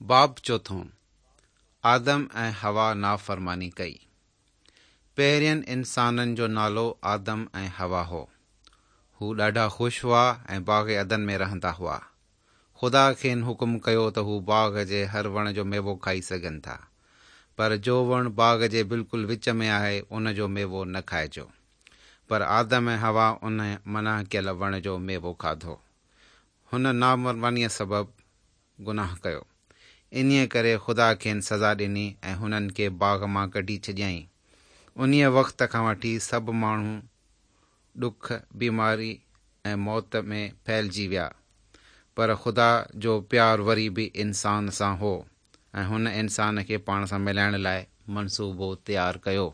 باب چوٿون، آدم ۽ حوا نافرماني ڪئي. پهرين انسانن جو نالو آدم ۽ حوا هو. هو ڏاڍا خوش هئا ۽ باغ عدن ۾ رهندا هئا. خدا کين حڪم ڪيو ته هو باغ جي هر وڻ جو ميوو کائي سگهن ٿا، پر جو وڻ باغ جي بلڪل وچ ۾ آهي، ان جو ميوو نه کائجو. پر آدم ۽ حوا ان منع ڪيل وڻ جو ميوو کاڌو. هن نافرمانيء سبب گناهه ڪيو. انهيء ڪري خدا کين سزا ڏني ۽ هنن کي باغ مان ڪڍي ڇڏيائين. انهيء وقت کان وٺي سڀ ماڻهو ڏک، بيماري ۽ موت ۾ ڦهلجي ويا. پر خدا جو پيار وري به انسان سان هو ۽ هن انسان کي پاڻ سان ملائڻ لاء منصوبو تيار ڪيو.